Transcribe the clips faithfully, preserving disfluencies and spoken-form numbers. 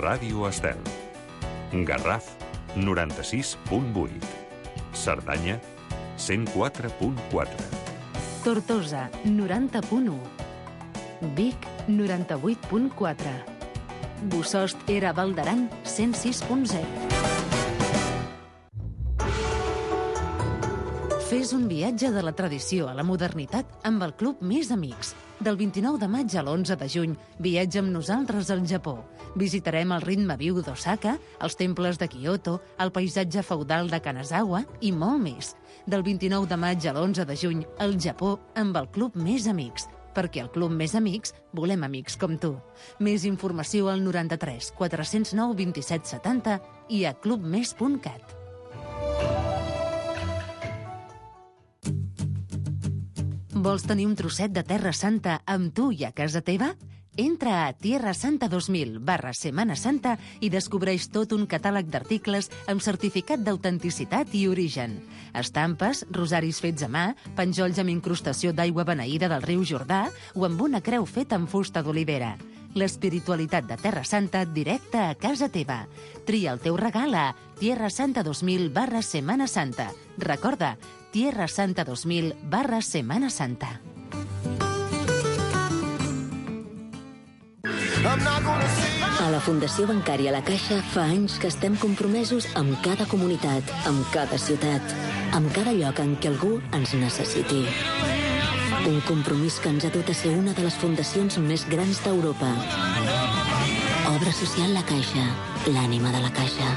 Ràdio Estel. Garraf, noranta-sis punt vuit. Cerdanya, cent quatre punt quatre. Tortosa, noranta punt u. Vic, noranta-vuit punt quatre. Bossòst Era Val d'Aran, cent sis punt zero. Fes un viatge de la tradició a la modernitat amb el Club Més Amics. Del vint-i-nou de maig a l'onze de juny, viatja amb nosaltres al Japó. Visitarem el ritme viu d'Osaka, els temples de Kyoto, el paisatge feudal de Kanazawa i molt més. Del vint-i-nou de maig a l'onze de juny, al Japó amb el Club Més Amics. Perquè al Club Més Amics volem amics com tu. Més informació al noranta-tres quatre-cents nou vint-i-set setanta i a clubmes punt cat. Vols tenir un trosset de Terra Santa amb tu i a casa teva? Entra a Tierra Santa dos mil barra Semana Santa i descobreix tot un catàleg d'articles amb certificat d'autenticitat i origen. Estampes, rosaris fets a mà, penjolls amb incrustació d'aigua beneïda del riu Jordà o amb una creu feta amb fusta d'olivera. L'espiritualitat de Terra Santa directa a casa teva. Tria el teu regal a Tierra Santa dos mil barra Semana Santa. Recorda, Tierra Santa dos mil barra Semana Santa. A la Fundació Bancària La Caixa fa anys que estem compromesos amb cada comunitat, amb cada ciutat, amb cada lloc en què algú ens necessiti. Un compromís que ens ha dut a ser una de les fundacions més grans d'Europa. Obra social La Caixa, l'ànima de la Caixa.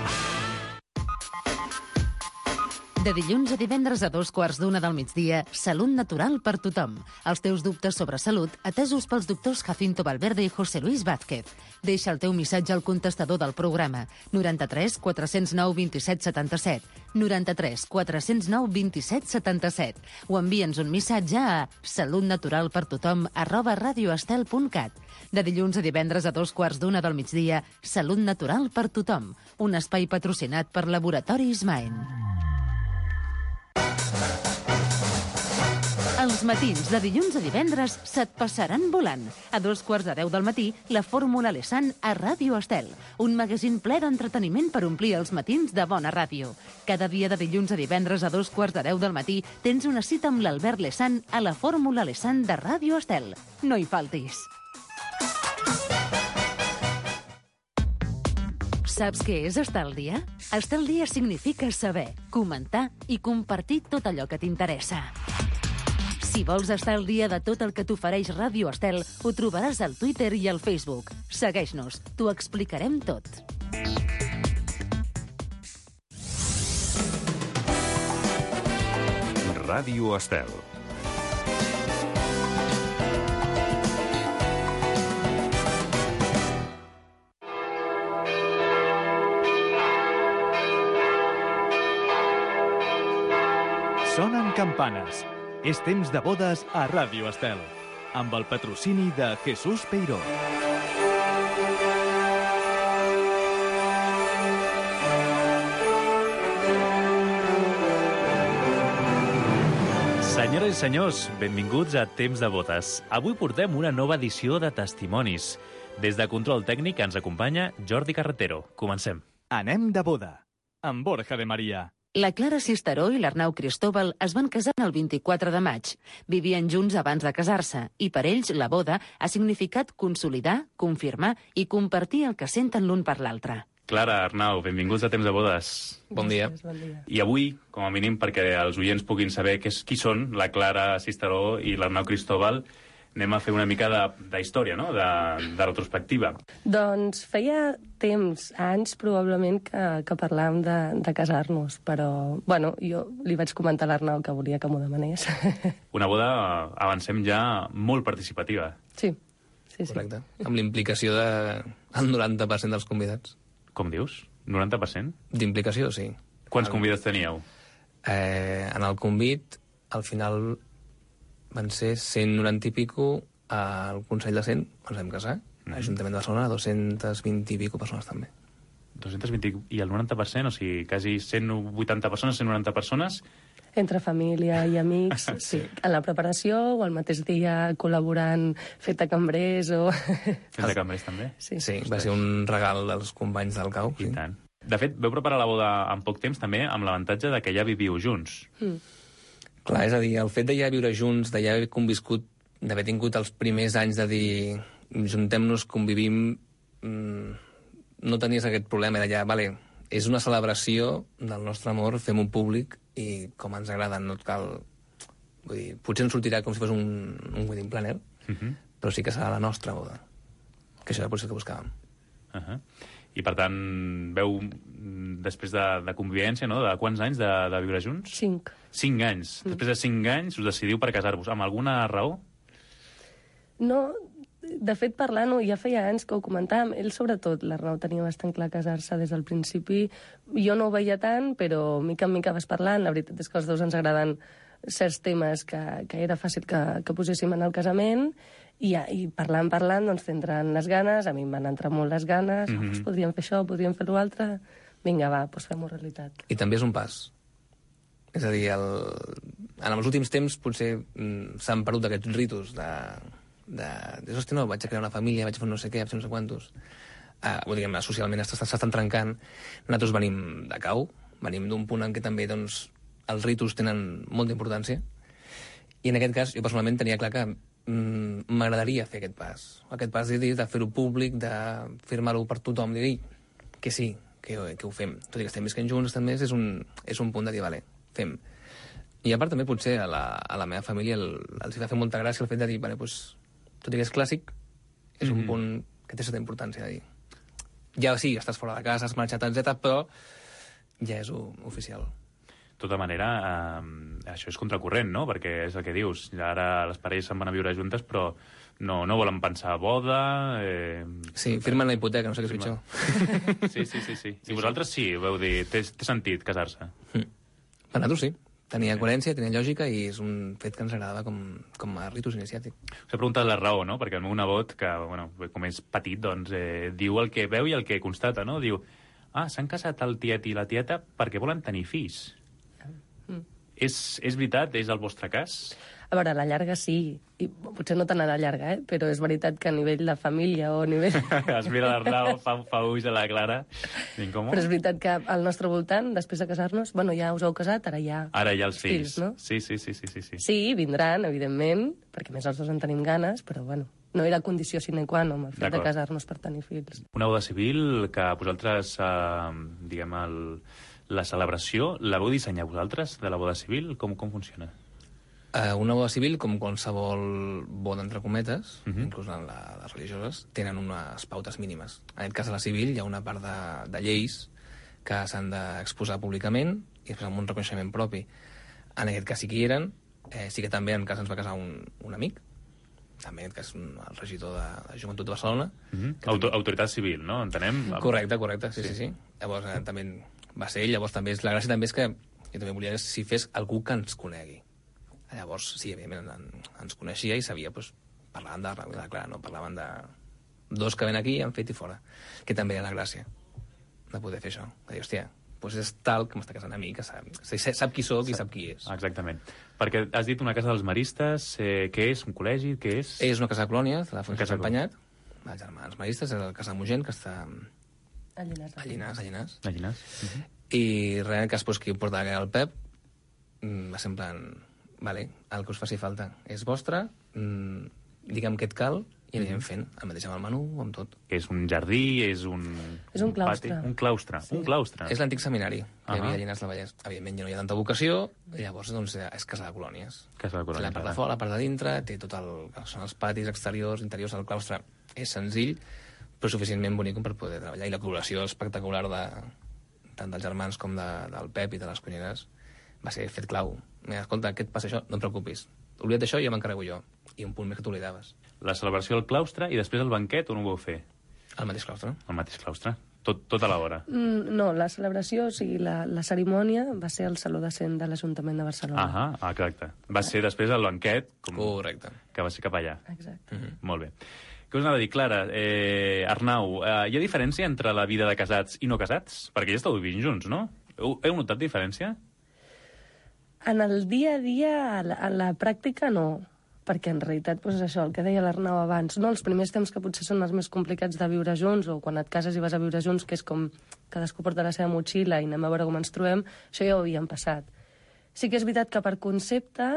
De dilluns a divendres a dos quarts d'una del migdia, Salut Natural per tothom. Els teus dubtes sobre salut, atesos pels doctors Jacinto Valverde i José Luis Vázquez. Deixa el teu missatge al contestador del programa, noranta-tres quatre-cents nou vint-i-set setanta-set, noranta-tres quatre-cents nou vint-i-set setanta-set, o envia'ns un missatge a salutnaturalpertothom arroba radioestel punt cat. De dilluns a divendres a dos quarts d'una del migdia, Salut Natural per tothom, un espai patrocinat per Laboratoris Maen. Els matins de dilluns a divendres se't passaran volant. A dos quarts de deu del matí, la Fórmula Lesan a Ràdio Estel, un magazín ple d'entreteniment per omplir els matins de bona ràdio. Cada dia de dilluns a divendres a dos quarts de deu del matí tens una cita amb l'Albert Lesan a la Fórmula Lesan de Ràdio Estel. No hi faltis. Saps què és estar al dia? Estar al dia significa saber, comentar i compartir tot allò que t'interessa. Si vols estar al dia de tot el que t'ofereix Ràdio Estel, ho trobaràs al Twitter i al Facebook. Segueix-nos, t'ho explicarem tot. Ràdio Estel. Sonen campanes. És temps de bodes a Ràdio Estel, amb el patrocini de Jesús Peiró. Senyores i senyors, benvinguts a Temps de bodes. Avui portem una nova edició de Testimonis. Des de Control Tècnic ens acompanya Jordi Carretero. Comencem. Anem de boda, amb Borja de Maria. La Clara Cisteró i l'Arnau Cristóbal es van casar el vint-i-quatre de maig. Vivien junts abans de casar-se i per ells la boda ha significat consolidar, confirmar i compartir el que senten l'un per l'altre. Clara, Arnau, benvinguts a Temps de bodes. Bon dia. bon dia. I avui, com a mínim, perquè els oients puguin saber qui, qui són la Clara Cisteró i l'Arnau Cristóbal, anem a fer una mica de, de història, no? de, de retrospectiva. Doncs feia temps, anys probablement, que, que parlàvem de, de casar-nos, però, bueno, jo li vaig comentar a l'Arnau que volia que m'ho demanés. Una boda, avancem ja, molt participativa. Sí, sí, sí. Correcte. Amb l'implicació del noranta per cent dels convidats. Com dius? noranta per cent? D'implicació, sí. Quants el... convidats teníeu? Eh, en el convit, al final van ser cent noranta i pico, al Consell de cent ens vam casar, mm. l'Ajuntament de Barcelona, dos-cents vint i pico persones també. dos-cents vint i el noranta per cent, o sigui, quasi cent vuitanta persones, cent noranta persones, Entre família i amics, sí. En la preparació o el mateix dia col·laborant, fet de cambrers o... Fet de cambrers, també? Sí, sí va ser un regal dels companys del cau. I sí. tant. De fet, veu preparar la boda en poc temps, també, amb l'avantatge de que ja viviu junts. Mm. Clar, és a dir, el fet de ja viure junts, de ja haver conviscut, d'haver tingut els primers anys de dir juntem-nos, convivim, mmm, no tenies aquest problema de ja, vale, és una celebració del nostre amor, fem-ho públic i com ens agrada, no et cal... Vull dir, potser ens sortirà com si fos un, un wedding planner, uh -huh. però sí que serà la nostra boda. Que això era potser el que buscàvem. Uh -huh. I, per tant, veu, després de, de convivència, no?, de quants anys de, de viure junts? Cinc. Cinc anys. Mm. Després de cinc anys us decidiu per casar-vos. Amb alguna raó? No, de fet, parlant-ho, ja feia anys que ho comentàvem. Ell, sobretot, l'Arnau tenia bastant clar casar-se des del principi. Jo no ho veia tant, però mica en mica vas parlant. La veritat és que als dos ens agraden certs temes que, que era fàcil que, que poséssim en el casament, i, i parlant, parlant, doncs tindran les ganes, a mi em van entrar molt les ganes, mm -hmm. oh, podríem fer això, podríem fer l'altre, vinga, va, doncs fem-ho realitat. I també és un pas. És a dir, el... en els últims temps potser mm, s'han perdut aquests ritus de... de... de hosti, no, vaig a crear una família, vaig a fer no sé què, vaig a fer no sé quantos. Uh, vull dir, socialment s'estan trencant. Nosaltres venim de cau, venim d'un punt en què també, doncs, els ritus tenen molta importància, i en aquest cas jo personalment tenia clar que mm, m'agradaria fer aquest pas. Aquest pas de, de fer-ho públic, de firmar-ho per tothom, de dir que sí, que, que ho fem. Tot i que estem visquent junts, estem més, és un, és un punt de dir, vale, fem. I a part també potser a la, a la meva família el, els va fer molta gràcia el fet de dir, vale, pues, tot i que és clàssic, és mm-hmm. un punt que té certa importància de dir. Ja sí, estàs fora de casa, has marxat, etcètera, però ja és oficial. De tota manera, eh, això és contracorrent, no? Perquè és el que dius. Ara les parelles se'n van a viure juntes, però no, no volen pensar boda... Eh... Sí, firmen la hipoteca, no sé què és pitjor. Sí, sí, sí, sí. I vosaltres sí, veu dir, té, té sentit casar-se? Mm. Per nosaltres sí. Tenia sí. coherència, tenia lògica, i és un fet que ens agradava com, com a ritus iniciàtic. S'ha preguntat la raó, no? Perquè el meu nebot, que, bueno, com és petit, doncs, eh, diu el que veu i el que constata, no? Diu, ah, s'han casat el tiet i la tieta perquè volen tenir fills. És, és veritat? És el vostre cas? A veure, a la llarga sí, i potser no tant a la llarga, eh? Però és veritat que a nivell de família o a nivell... Es mira l'Arnau, fa, fa ulls a la Clara. Com? Però és veritat que al nostre voltant, després de casar-nos, bueno, ja us heu casat, ara ja... Ara ja els fills, fills no? Sí, sí, sí, sí, sí, sí. Sí, vindran, evidentment, perquè més els dos en tenim ganes, però bueno, no era condició sine qua non el fet de casar-nos per tenir fills. Una boda civil que vosaltres, eh, diguem, el... la celebració, la vau dissenyar vosaltres, de la boda civil? Com, com funciona? Uh, una boda civil, com qualsevol boda, entre cometes, uh -huh. inclús en la, les religioses, tenen unes pautes mínimes. En aquest cas, a la civil hi ha una part de, de lleis que s'han d'exposar públicament i després amb un reconeixement propi. En aquest cas sí que hi eren. Eh, sí que també en cas ens va casar un, un amic, també en aquest cas un, el regidor de, de Joventut de Barcelona. Uh -huh. Autor, autoritat civil, no? Entenem? Correcte, correcte, sí, sí, sí. sí. Llavors, eh, també va ser ell. Llavors, també és, la gràcia també és que jo també volia que si fes algú que ens conegui. Llavors, sí, evidentment, ens coneixia i sabia, doncs, parlaven de, de clar, no? Parlaven de dos que ven aquí, han fet i fora. Que també era la gràcia de poder fer això. De dir, hòstia, doncs és tal que m'està casant a mi, que sap, sap qui sóc i sap qui és. Exactament. Perquè has dit una casa dels maristes, eh, què és? Un col·legi? Què és? És una casa de colònies, de la Fundació Empanyat, els germans maristes, és la casa de Mogent, que està a Llinars. A Llinars, a Llinars. A Llinars. Uh -huh. I res, en el cas pues, qui ho portava, que era el Pep, va ser en plan, vale, el que us faci falta és vostre, mmm, diguem què et cal, i anirem fent, el mateix amb el menú, amb tot. És un jardí, és un... És un claustre. Pati, un claustre, sí. un claustre. És l'antic seminari que hi havia a Llinars del Vallès. Evidentment ja no hi ha tanta vocació, i llavors doncs, és casa de colònies. Casa de colònies. La part de fora, la part de dintre, té tot el... són els patis exteriors, interiors, el claustre és senzill, però suficientment bonic per poder treballar. I la col·laboració espectacular de, tant dels germans com de, del Pep i de les cuineres va ser fet clau. Mira, escolta, què et passa això? No et preocupis. Oblida't això i ja m'encarrego jo. I un punt més que t'oblidaves. La celebració al claustre i després el banquet, on ho vau fer? Al mateix claustre. Al mateix claustre. Tot, tot a l'hora. Mm, no, la celebració, o sigui, la, la cerimònia va ser al Saló de Cent de l'Ajuntament de Barcelona. Ah, exacte. Va ser després el banquet... Com... Correcte. Que va ser cap allà. Exacte. Uh -huh. Molt bé. Què us anava a dir, Clara? Eh, Arnau, eh, hi ha diferència entre la vida de casats i no casats? Perquè ja esteu vivint junts, no? Heu, heu notat diferència? En el dia a dia, a la, a la pràctica, no. Perquè en realitat, doncs això, el que deia l'Arnau abans, no? Els primers temps que potser són els més complicats de viure junts, o quan et cases i vas a viure junts, que és com cadascú porta la seva motxilla i anem a veure com ens trobem, això ja ho havíem passat. Sí que és veritat que per concepte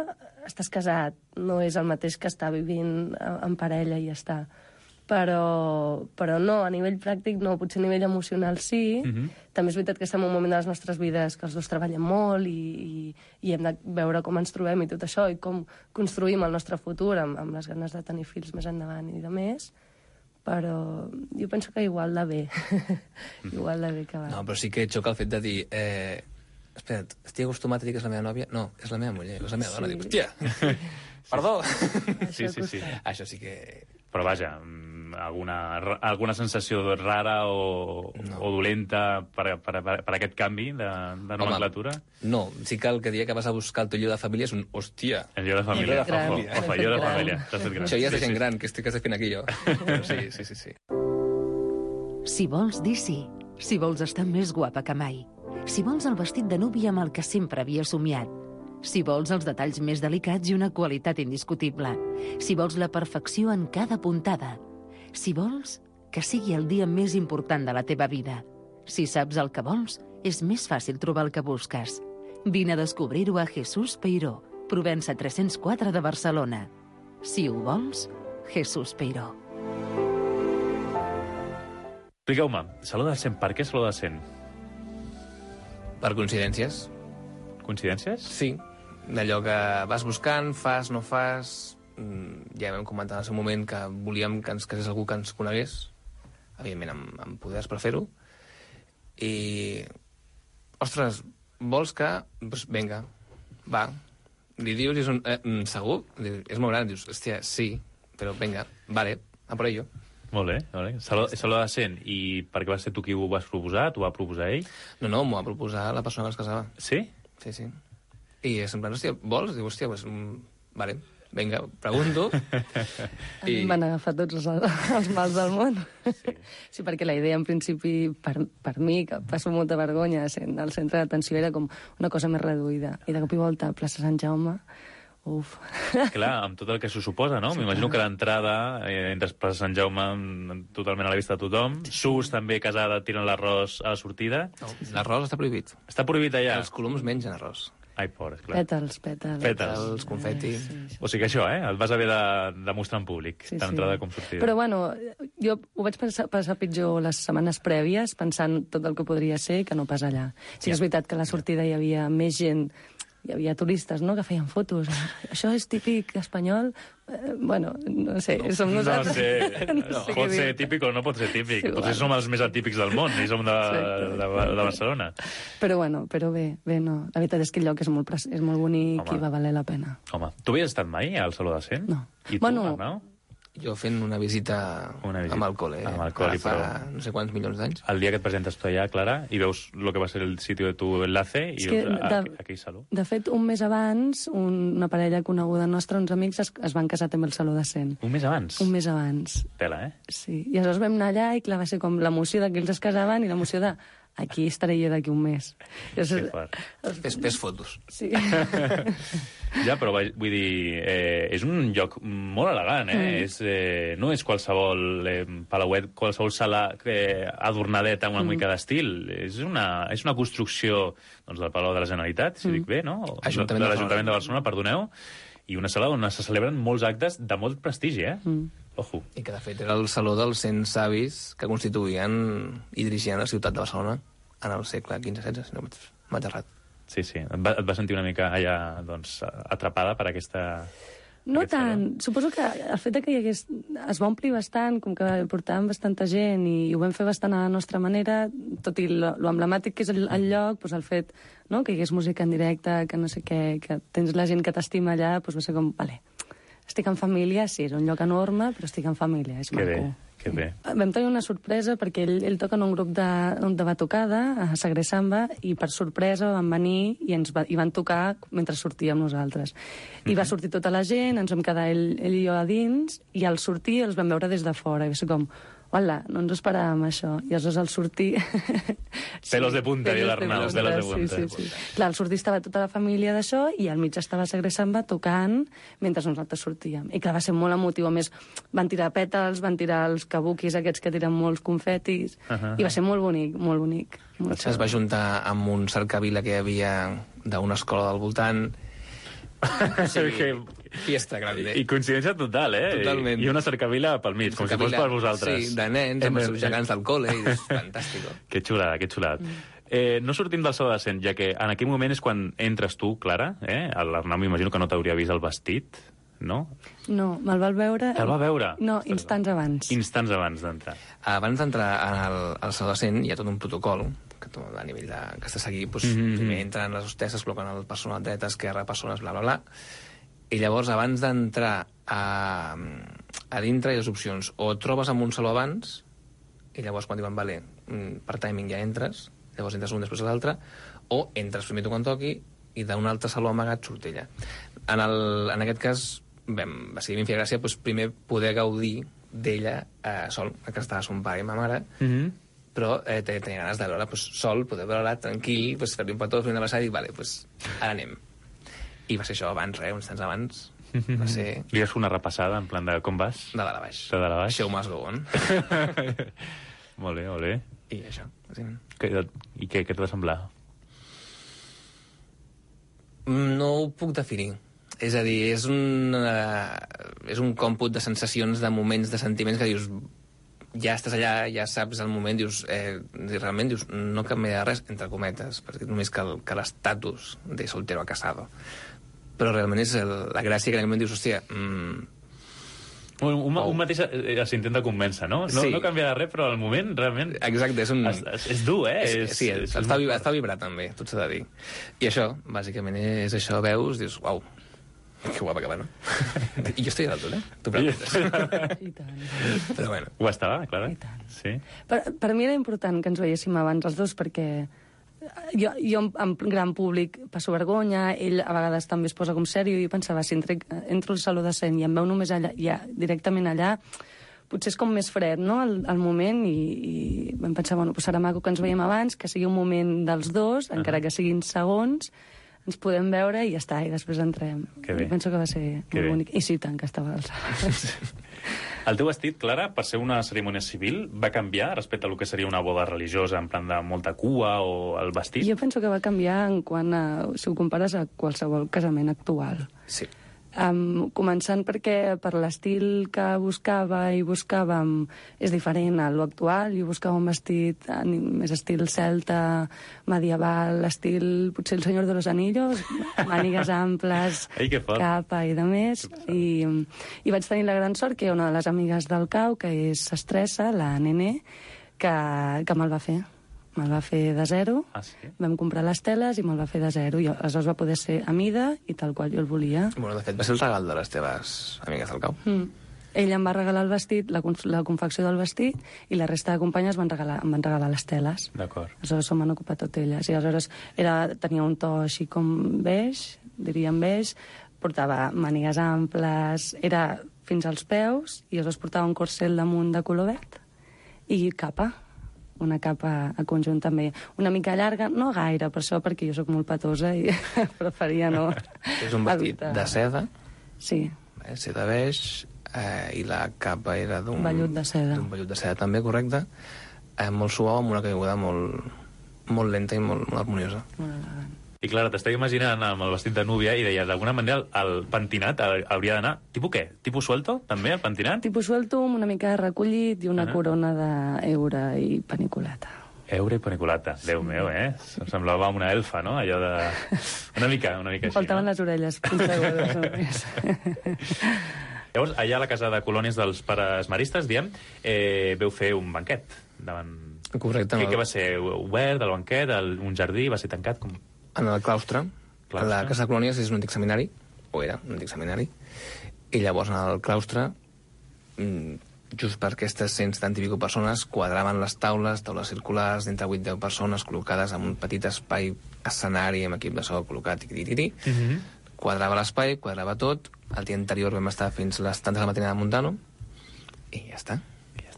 estàs casat, no és el mateix que estar vivint en parella i ja està. Però, però no, a nivell pràctic no, potser a nivell emocional sí. Mm-hmm. També és veritat que estem en un moment de les nostres vides que els dos treballem molt i, i, i hem de veure com ens trobem i tot això, i com construïm el nostre futur amb, amb les ganes de tenir fills més endavant i de més, però jo penso que igual de bé. Igual de bé que va. No, però sí que xoca el fet de dir... Eh, espera't, estic acostumat a dir que és la meva nòvia? No, és la meva muller, és la meva dona. Sí. Dic, hòstia, perdó! Sí, sí, sí. Això sí que... Però vaja, alguna, alguna sensació rara o, no. o dolenta per, per, per, per aquest canvi de, de nomenclatura? Home, no, sí que el que dia que vas a buscar el teu llibre de família és un hòstia. El llibre de família. El llibre de família. Ofa, llibre de família. T'has fet gran. Això ja és de gent sí, sí. gran, que estic, que estic fent aquí jo. Però sí, sí, sí, sí. Si vols dir sí, si vols estar més guapa que mai, si vols el vestit de núvia amb el que sempre havia somiat, si vols els detalls més delicats i una qualitat indiscutible, si vols la perfecció en cada puntada, si vols que sigui el dia més important de la teva vida, si saps el que vols, és més fàcil trobar el que busques. Vine a descobrir-ho a Jesús Peiró, Provença tres-cents quatre de Barcelona. Si ho vols, Jesús Peiró. Expliqueu-me, Saló de Cent, per què Saló de Cent? Per coincidències. Coincidències? Sí, d'allò que vas buscant, fas, no fas... Ja vam comentar en el seu moment que volíem que ens casés algú que ens conegués, evidentment amb, amb poders per fer-ho, i... Ostres, vols que... Doncs vinga, va. Li dius, i és un... Eh, segur? És molt gran, dius, hòstia, sí, però vinga, vale, a por ello. Molt bé, molt bé. Saló, Saló de Cent. I per què vas ser tu qui ho vas proposar? T'ho va proposar ell? No, no, m'ho va proposar la persona que es casava. Sí? Sí, sí. I és en plan, hòstia, vols? Diu, hòstia, pues, vale, vinga, pregunto. I... Em van agafar tots els, els mals del món. Sí. Sí, perquè la idea, en principi, per, per mi, que passo molta vergonya sent al centre d'atenció, era com una cosa més reduïda. I de cop i volta, a plaça Sant Jaume, uf. Clar, amb tot el que s'ho suposa, no? Sí, m'imagino que l'entrada, eh, entres per Sant Jaume totalment a la vista de tothom, surts també casada tirant l'arròs a la sortida. No, l'arròs està prohibit. Està prohibit allà? Els coloms mengen arròs. Ai, pobres, clar. Pètals, pètals. Pètals, confeti. Sí, sí. O sigui que això, eh? El vas haver de demostrar en públic, sí, tant entrada sí. com sortida. Però, bueno, jo ho vaig passar, passar pitjor les setmanes prèvies, pensant tot el que podria ser, que no pas allà. Sí que és veritat que a la sortida hi havia més gent, hi havia turistes, no?, que feien fotos. Això és típic espanyol? Eh, bueno, no sé, no, som nosaltres. No sé, no sé pot ser típic o no pot ser típic. Sí, potser som els més atípics del món i som de, de, de, de Barcelona. Però bueno, però bé, bé, no. La veritat és que el lloc és molt, és molt bonic. Home. I va valer la pena. Home, tu havies estat mai al Saló de Cent? No. I tu, bueno, Arnau? Jo fent una visita, una visita. amb el col·le, amb el col·le, fa però... no sé quants milions d'anys. El dia que et presentes tu allà, Clara, i veus el que va ser el sitio de tu enlace, i veus de, aquell saló. De fet, un mes abans, un, una parella coneguda nostra, uns amics, es, es van casar també al Saló de Cent. Un mes abans? Un mes abans. Tela, eh? Sí, i aleshores vam anar allà i clar, va ser com l'emoció de que ells es casaven i l'emoció de aquí estaré jo d'aquí un mes. Llavors, fes, fes fotos. Sí. Ja, però vull dir, eh, és un lloc molt elegant, eh? Mm. És, eh, no és qualsevol eh, palauet, qualsevol sala eh, adornadet amb una mm. mica d'estil. És una, és una construcció doncs, del Palau de la Generalitat, si mm. dic bé, no? Ajuntament de l'Ajuntament de Barcelona, perdoneu, i una sala on se celebren molts actes de molt prestigi, eh? Mm. Ojo. I que, de fet, era el saló dels cent savis que constituïen i dirigien la ciutat de Barcelona en el segle quinze setze, si no m'ha errat. Sí, sí. Et va, et va sentir una mica allà, doncs, atrapada per aquesta... No tant. Saló. Suposo que el fet que hi hagués... es va omplir bastant, com que portàvem bastanta gent i ho vam fer bastant a la nostra manera, tot i lo, lo emblemàtic que és el, el lloc, doncs el fet no, que hi hagués música en directe, que no sé què, que tens la gent que t'estima allà, doncs va ser com, vale, estic en família, sí, és un lloc enorme, però estic en família, és que maco. Bé. Que bé. Vam tenir una sorpresa perquè ell, ell toca en un grup de, de batucada a Sagre Samba i per sorpresa van venir i ens va, i van tocar mentre sortíem nosaltres. I va sortir tota la gent, ens vam quedar ell, ell i jo a dins i al sortir els vam veure des de fora i va ser com, hola, no ens esperàvem això. I aleshores al sortir... sí, pelos de punta, i l'Arnau, pelos de punta. Sí, sí, sí. Clar, al sortir estava tota la família d'això i al mig estava Sagre Samba tocant mentre nosaltres sortíem. I clar, va ser molt emotiu. A més, van tirar pètals, van tirar els kabukis aquests que tiren molts confetis, uh -huh. i va ser molt bonic, molt bonic. Molt es va juntar amb un cercavila que hi havia d'una escola del voltant. Sí, fiesta grande. I coincidència total, eh? Totalment. I una cercavila pel mig, com si fos per vosaltres. Sí, de nens, amb els seus gegants del col·le, i és fantàstic. Que xulada, que xulada. Mm. Eh, no sortim del so de cent, ja que en aquell moment és quan entres tu, Clara, eh? L'Arnau m'imagino que no t'hauria vist el vestit, no? No, me'l va veure... El va veure? No, instants abans. Instants abans d'entrar. Abans d'entrar al, al so de cent hi ha tot un protocol que a nivell de, que has de seguir, doncs, mm -hmm. primer entren les hostesses, col·loquen el personal dreta, esquerra, persones, bla, bla, bla, i llavors, abans d'entrar a, a dintre, hi ha les opcions. O et trobes amb un saló abans, i llavors, quan diuen, vale, per timing ja entres, llavors entres un després l'altre, o entres primer tu quan toqui, i d'un altre saló amagat surt ella. En, el, en aquest cas, vam, va ser ben fer gràcia, doncs, primer poder gaudir d'ella eh, sol, que estava son pare i ma mare, mm -hmm. però eh, tenia ganes de veure pues, sol, poder veure-la tranquil, pues, fer-li un petó, fer una abraçada i dic, vale, pues, ara anem. I va ser això abans, res, uns temps abans. Va ser... Li has fet una repassada, en plan de com vas? De dalt a baix. De dalt a baix. Show must go on. Molt bé, molt bé. I això, bàsicament. I què, què t'ha de semblar? No ho puc definir. És a dir, és un, uh, és un còmput de sensacions, de moments, de sentiments que dius... Ja estàs allà, ja saps el moment, dius... Eh, realment dius, no canvia res, entre cometes, perquè només que l'estatus de soltero a casado. Però realment és el, la gràcia que en aquell moment dius, hòstia... Mm, un, un, oh. un mateix eh, s'intenta convèncer, no? No, sí. No canviarà res, però al moment, realment... Exacte, és un... És, és, és dur, eh? És, és, sí, és, et, fa vibrar, et fa vibrar també, tot s'ha de dir. I això, bàsicament, és això, veus, dius, uau, que guapa que va, no? I jo estic a l'altura, eh? Tu preguntes. I tant. Però bueno. Ho estava, Clara? I tant. Sí. Per, per mi era important que ens veiéssim abans els dos, perquè jo, jo en gran públic passo vergonya, ell a vegades també es posa com sèrio, i jo pensava, si entro, entro al saló de cent i em veu només allà, ja, directament allà, potser és com més fred, no?, el, el moment, i, i vam pensar, bueno, pues serà maco que ens veiem abans, que sigui un moment dels dos, encara uh -huh. que siguin segons, ens podem veure i ja està, i després entrem. Que bé. Penso que va ser que molt bé. bonic. I sí, tant, que estava al saló. El teu vestit, Clara, per ser una cerimònia civil, va canviar respecte a lo que seria una boda religiosa, en plan de molta cua, o el vestit? Jo penso que va canviar en quant a, si ho compares a qualsevol casament actual. Sí. Um, començant perquè per l'estil que buscava i buscàvem és diferent a l'actual. Jo buscava un vestit més estil celta, medieval, estil potser el Senyor de los Anillos, mànigues amples, Ai, capa i de més. I, I vaig tenir la gran sort que una de les amigues del cau, que és Estressa, la Nene, que, que me'l va fer. Me'l va fer de zero, ah, sí? Vam comprar les teles i me'l va fer de zero, i aleshores va poder ser a mida i tal qual jo el volia. Bueno, de fet, va ser el regal de les teves amigues del cau. Mm. Ell em va regalar el vestit, la, la confecció del vestit, i la resta de companyes van regalar, em van regalar les teles. D'acord. Aleshores se'm van ocupar tot elles. I aleshores era, tenia un to així com beix, diríem beix, portava mànigues amples, era fins als peus, i aleshores portava un corsel damunt de color verd, i capa. Una capa a conjunt també una mica llarga, no gaire, per això, perquè jo sóc molt petosa i preferia no... És un vestit evitar. De seda. Sí. Eh, seda beix, eh, i la capa era d'un... vellut de seda. D'un vellut de seda, també, correcte. Eh, molt suau, amb una caiguda molt, molt lenta i molt, molt harmoniosa. Molt elegant. I Clara, t'estic imaginant amb el vestit de núvia i deies, d'alguna manera, el pentinat hauria d'anar... Tipus què? Tipus suelto, també, el pentinat? Tipus suelto, amb una mica recollit i una uh -huh. corona d'eure i paniculata. Eure i paniculata. Sí. Déu meu, eh? Em semblava una elfa, no? Allò de... Una mica, una mica així, faltaven no? les orelles punxegudes només. Llavors, allà a la casa de colònies dels pares maristes, diem, eh, veu fer un banquet davant... Correcte. Què, què va ser? Obert, el banquet, el, un jardí, va ser tancat? Com... En el claustre. claustre. La casa de colònies és un antic seminari, o era un antic seminari, i llavors en el claustre, just per aquestes cent setanta i pico persones, quadraven les taules, taules circulars, d'entre vuit a deu persones, col·locades en un petit espai escenari amb equip de so col·locat, i tiri uh -huh. Quadrava l'espai, quadrava tot. El dia anterior vam estar fins les tantes de la matinada muntant-ho, i ja està.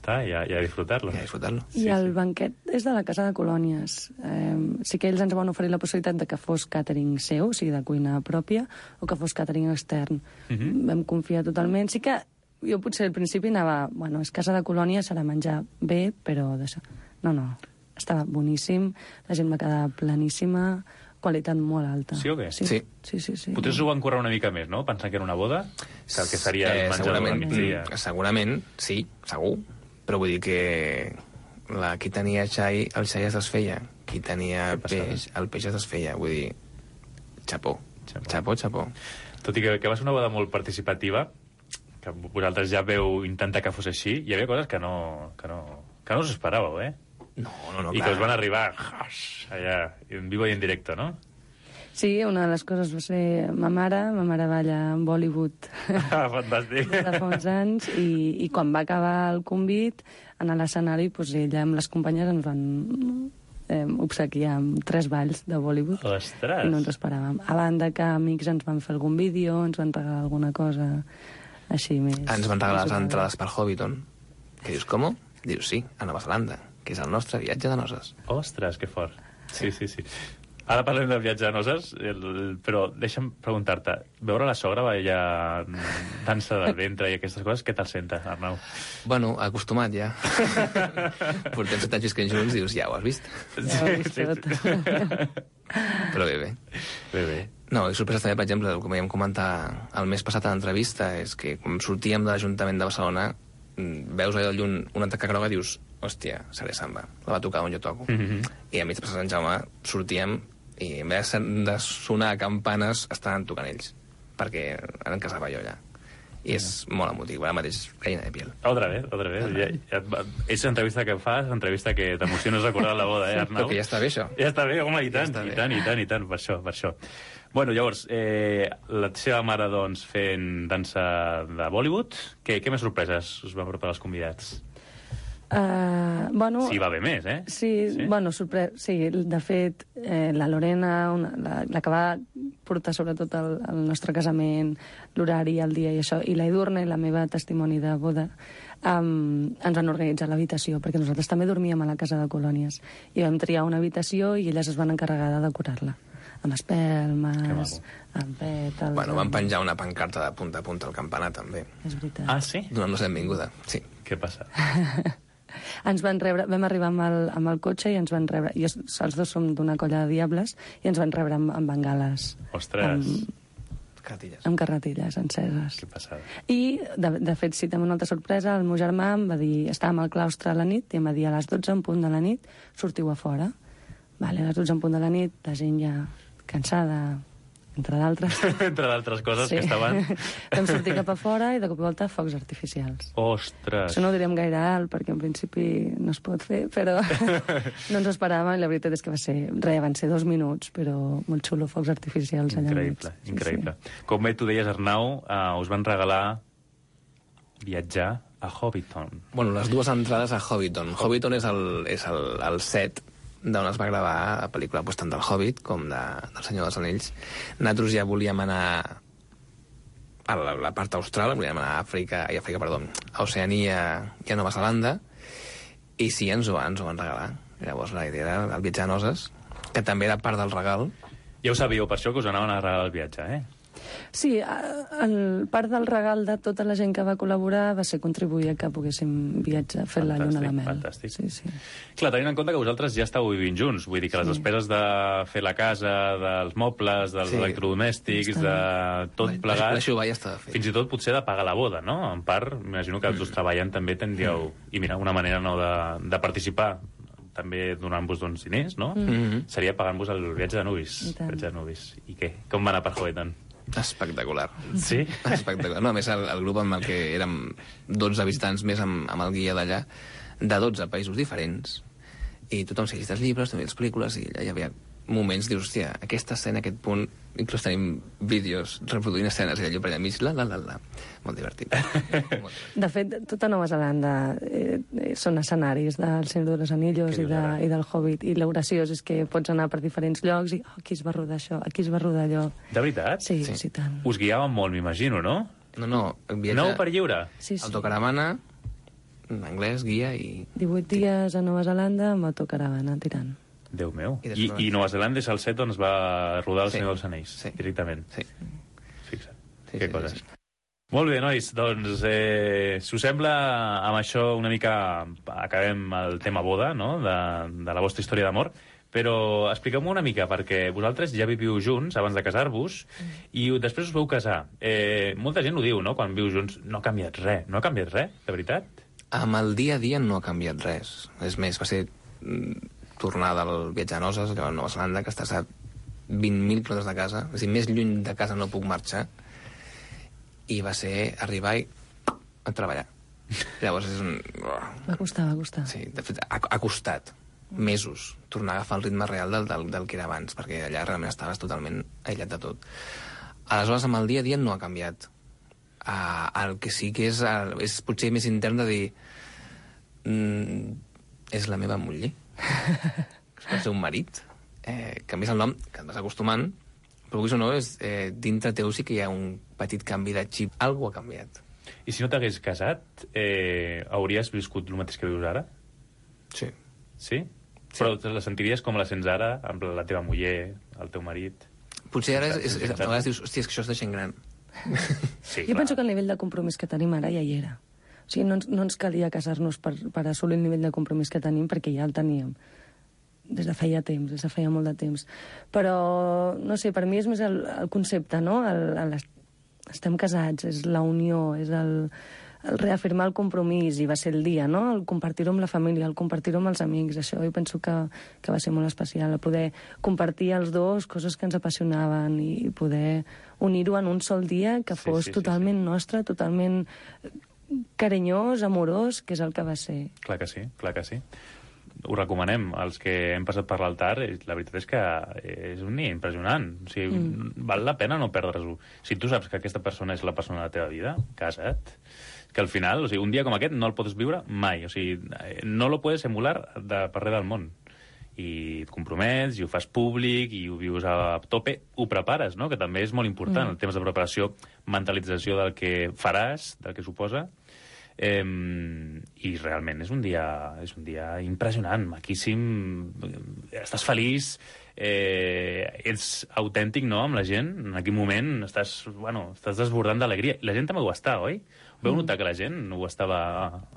està, ja, ja a disfrutar-lo. Ja a disfrutar-lo. I el banquet és de la Casa de Colònies. Eh, sí que ells ens van oferir la possibilitat de que fos càtering seu, o sigui, de cuina pròpia, o que fos càtering extern. Uh -huh. Vam confiar totalment. Sí que jo potser al principi anava... Bueno, és Casa de Colònies, serà menjar bé, però d'això... No, no, estava boníssim, la gent va quedar planíssima, qualitat molt alta. Sí o què? Sí. Sí, sí, sí. sí. Potser s'ho van currar una mica més, no? Pensant que era una boda, que el que seria el menjador del migdia. Mm, segurament, sí, segur. Però vull dir que la, qui tenia xai, el xai es desfeia. Qui tenia peix, el peix es desfeia. Vull dir, xapó. Xapó, xapó. Tot i que, que va ser una boda molt participativa, que vosaltres ja veu intentar que fos així, hi havia coses que no, que no, que no us esperàveu, eh? No, no, no, I clar. que us van arribar allà, en vivo i en directe, no? Sí, una de les coses va ser ma mare, ma mare balla en Bollywood Ah, fantàstic. de fa uns anys, i, i quan va acabar el convit, en l'escenari, doncs ella amb les companyes ens van eh, obsequiar amb tres balls de Bollywood. Ostres! I no ens esperàvem. A banda que amics ens van fer algun vídeo, ens van regalar alguna cosa així més... Ens van regalar les entrades per Hobbiton. Que dius, com? Dius, sí, a Nova Zelanda, que és el nostre viatge de noces. Ostres, que fort. Sí, sí, sí. Ara parlem del viatge de noces, el, el, però deixa'm preguntar-te, veure la sogra ballar dansa del ventre i aquestes coses, què te'l senta, Arnau? Bueno, acostumat ja. Portem set anys visquent junts, dius, ja ho has vist. Ja ho he vist tot. Però bé, bé. Bé, bé. No, i sorpreses també, per exemple, com vam comentar el mes passat a l'entrevista, és que quan sortíem de l'Ajuntament de Barcelona, veus allà de lluny una taca groga i dius, hòstia, seré samba, la va tocar on jo toco. Mm -hmm. I a mig de passar Sant Jaume sortíem i en vez de sonar campanes estaven tocant ells, perquè ara em casava jo allà. I és molt emotiu, ara mateix gallina de piel. Otra vez, otra vez. Ja, ja, és entrevista que fas, entrevista que t'emociones recordar la boda, eh, Arnau? Però que ja està bé, això. Ja està bé, home, i tant, ja i tant, i tant, i tant, per això, per això. Bueno, llavors, eh, la seva mare, doncs, fent dansa de Bollywood, què, què més sorpreses us van preparar els convidats? Uh, bueno, Sí, va bé més, eh? Sí, Sí? sí? bueno, sorpre... sí, de fet, eh, la Lorena, una, la, la que va portar sobretot el, el nostre casament, l'horari, el dia i això, i la Edurne, la meva testimoni de boda, um, ens van organitzar l'habitació, perquè nosaltres també dormíem a la Casa de Colònies, i vam triar una habitació i elles es van encarregar de decorar-la, amb espelmes, amb pètals... Bueno, van penjar una pancarta de punta a punta al campanar, també. És veritat. Ah, sí? Donant-nos la benvinguda, sí. Què passa? Ens van rebre, vam arribar amb el, amb el cotxe i ens van rebre, i els dos som d'una colla de diables, i ens van rebre amb, amb bengales. Ostres, Amb, Cartilles. amb carretilles enceses. què passada. I, de, de fet, sí, també una altra sorpresa, el meu germà em va dir, estàvem al claustre a la nit, i em va dir, a les dotze en punt de la nit, sortiu a fora. Vale, a les dotze en punt de la nit, la gent ja cansada, entre d'altres. Entre d'altres coses sí. que estaven... Vam sortir cap a fora i de cop i volta focs artificials. Ostres! Això no ho diríem gaire alt, perquè en principi no es pot fer, però no ens ho esperàvem, i la veritat és que va ser... Res, van ser dos minuts, però molt xulo, focs artificials allà. Increïble, sí, increïble. Sí. Com bé tu deies, Arnau, uh, us van regalar viatjar a Hobbiton. Bueno, les dues entrades a Hobbiton. Hobbiton és el, és el, el set d'on es va gravar la pel·lícula, doncs, tant del Hobbit com de, del Senyor dels Anells. Nosaltres ja volíem anar a la, la part austral, volíem anar a Àfrica, i Àfrica, perdó, a Oceania i a Nova Zelanda, i sí, ens ho, ens ho van regalar. Llavors la idea era el viatge de noces, que també era part del regal. Ja ho sabíeu, per això que us anaven a regalar el viatge, eh? Sí, el part del regal de tota la gent que va col·laborar va ser contribuir a que poguéssim viatjar, fer la lluna de mel. Fantàstic. Sí, sí. Clar, tenint en compte que vosaltres ja estàu vivint junts, vull dir que les Sí. despeses de fer la casa, dels mobles, dels Sí. electrodomèstics, Està de tot La- plegat, L'això ja estava fet. fins i tot potser de pagar la boda, no? En part, m'imagino que els dos treballant també tindríeu... I mira, una manera no de, de participar també donant-vos doncs, diners, no? Mhm. Seria pagant-vos el viatge de nuvis. I tant. Viatge de nuvis. I què? Com va anar per Hobbiton? Espectacular. Sí? Espectacular. No, a més, el, el grup amb el que érem dotze visitants més amb, amb el guia d'allà, de dotze països diferents, i tothom s'ha llegit els llibres, també les pel·lícules, i allà hi havia moments, dius, hòstia, aquesta escena, aquest punt, inclús tenim vídeos reproduint escenes, i allò per allà mig, la, la, la, la. Molt divertit. Molt divertit. De fet, tota Nova Zelanda eh, eh, són escenaris del Senyor dels Anillos Què i, dius de, ara? i del Hobbit, i el graciós és que pots anar per diferents llocs i oh, aquí es va rodar això, aquí es va rodar allò. De veritat? Sí, Sí. sí, sí tant. Us guiàvem molt, m'imagino, no? No, no, el viatge... Nou per lliure? Sí, sí. Autocaravana, anglès, guia i... divuit dies a Nova Zelanda amb autocaravana tirant. Déu meu. I I, després- i Nova Zelanda és el set on es va rodar El Sí. Senyor dels Anells, Sí. directament. Sí. Fixa't. Sí, que sí, coses. sí, sí. Molt bé, nois, doncs, eh, si us sembla, amb això una mica acabem el tema boda, no?, de, de la vostra història d'amor, però expliqueu-m'ho una mica, perquè vosaltres ja viviu junts abans de casar-vos i després us veu casar. Eh, molta gent ho diu, no?, quan viu junts, no ha canviat res. No ha canviat res, de veritat? Amb el dia a dia no ha canviat res. És més, va ser mm, tornar del viatge a noces, allò a Nova Zelanda, que estàs a vint mil quilòmetres de casa, és a dir, més lluny de casa no puc marxar, i va ser arribar i a treballar. Llavors és un... Va costar, va costar. Sí, de fet, ha, ha costat mesos tornar a agafar el ritme real del, del, del que era abans, perquè allà realment estaves totalment aïllat de tot. Aleshores, amb el dia a dia no ha canviat. Uh, el que sí que és, uh, és potser més intern de dir mm, és la meva muller. És el seu marit. Eh, canvies el nom, que et vas acostumant, però vulguis o no, és, eh, dintre teu sí que hi ha un petit canvi de xip. Algú ha canviat. I si no t'hagués casat, eh, hauries viscut el mateix que vius ara? Sí. Sí? Sí. Però te la sentiries com la sents ara, amb la teva muller, el teu marit? Potser ara és, és, és, a vegades dius, hòstia, és que això és de gent gran. Sí, Jo penso que el nivell de compromís que tenim ara ja hi era. O sigui, no ens, no ens calia casar-nos per, per assolir el nivell de compromís que tenim, perquè ja el teníem des de feia temps, des de feia molt de temps. Però, no sé, per mi és més el, el concepte, no? El, el, estem casats, és la unió, és el, el reafirmar el compromís, i va ser el dia, no? El compartir-ho amb la família, el compartir-ho amb els amics, això jo penso que, que va ser molt especial, el poder compartir els dos coses que ens apassionaven i poder unir-ho en un sol dia que Sí, fos sí, sí, totalment nostre, totalment carinyós, amorós, que és el que va ser. Clar que sí, clar que sí. Ho recomanem. Els que hem passat per l'altar, eh, la veritat és que és un dia impressionant. O sigui, mm. val la pena no perdre's-ho. Si tu saps que aquesta persona és la persona de la teva vida, casa't. Que al final, o sigui, un dia com aquest no el pots viure mai. O sigui, no lo puedes emular de per res del món. I et compromets, i ho fas públic, i ho vius a tope, ho prepares, no?, que també és molt important, mm. el temps de preparació, mentalització del que faràs, del que suposa, eh, i realment és un dia, és un dia impressionant, maquíssim, estàs feliç, eh, ets autèntic, no?, amb la gent, en aquell moment estàs, bueno, estàs desbordant d'alegria, i la gent també ho està, oi? Veu notar que la gent ho estava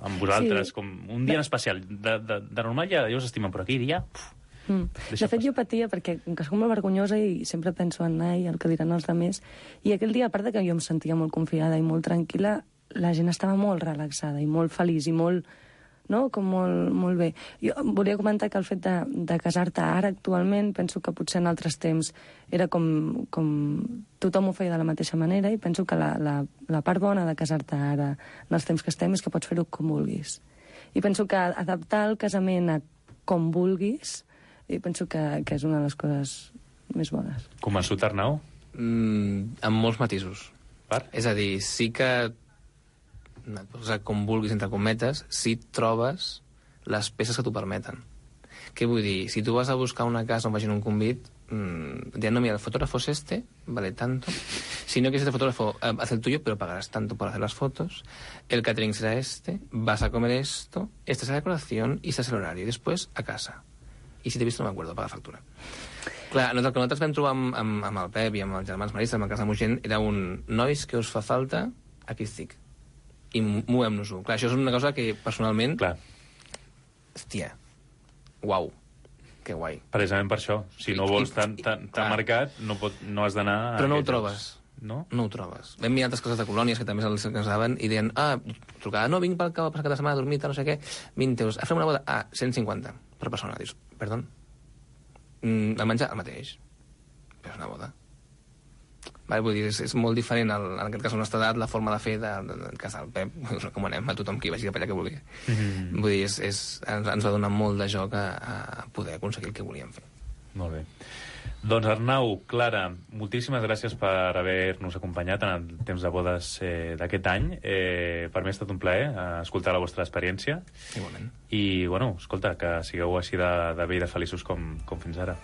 amb vosaltres, sí. com un dia en especial. De, de, de normal ja, ja us estimen, però aquell dia... Uf, mm. De fet, passar. Jo patia, perquè com que soc molt vergonyosa i sempre penso en anar i el que diran els altres, i aquell dia, a part de que jo em sentia molt confiada i molt tranquil·la, la gent estava molt relaxada i molt feliç i molt... no? Com molt, molt bé. Jo volia comentar que el fet de, de casar-te ara, actualment, penso que potser en altres temps era com, com tothom ho feia de la mateixa manera, i penso que la, la, la part bona de casar-te ara, en els temps que estem, és que pots fer-ho com vulguis. I penso que adaptar el casament a com vulguis, i penso que, que és una de les coses més bones. Convençut, Arnau? Mm, amb molts matisos. Per? És a dir, sí que et pots posar com vulguis, entre cometes, si trobes les peces que t'ho permeten. Què vull dir? Si tu vas a buscar una casa on vagin un convit, mmm, diran, no, mira, el fotógrafo es este, vale tanto. Si no quieres este fotógrafo, eh, haz el tuyo, pero pagarás tanto por hacer las fotos. El catering será este, vas a comer esto, esta es la decoración y este es el horario. Y después, a casa. I si t'he vist no m'acuerdo, paga factura. Clar, el que nosaltres vam trobar amb, amb, amb el Pep i amb els germans Marista, amb el Casa Mogent, era un nois que us fa falta, aquí estic. I movem-nos-ho. Clar, això és una cosa que, personalment... Clar. Hòstia, uau, que guai. Precisament per això. Si no vols tan, tan, tan marcat, no, pot, no has d'anar... Però no ho trobes. No? No ho trobes. Vam mirar altres coses de colònies que també se'ls casaven i deien, ah, trucada, no, vinc pel cap a passar cada setmana a dormir, no sé què, vint euros. A fer una boda, ah, cent cinquanta per persona. Dius, perdó? Mm, el menjar, el mateix. Però és una boda. Vale, vull dir, és, és molt diferent, el, en aquest cas, la nostra edat, la forma de fer de, de, de casar el Pep. Us recomanem a tothom que vagi cap allà que vulgui. Mm-hmm. Vull dir, és, és, ens, ens va donar molt de joc a, a poder aconseguir el que volíem fer. Molt bé. Doncs Arnau, Clara, moltíssimes gràcies per haver-nos acompanyat en el temps de bodes eh, d'aquest any. Eh, per mi ha estat un plaer eh, escoltar la vostra experiència. Igualment. I, bueno, escolta, que sigueu així de, de bé i de feliços com, com fins ara.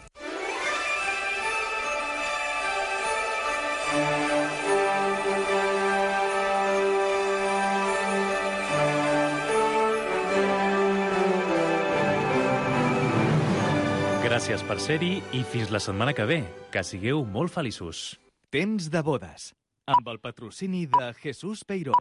Gràcies per ser-hi i fins la setmana que ve. Que sigueu molt feliços. Temps de bodes, amb el patrocini de Jesús Peiró.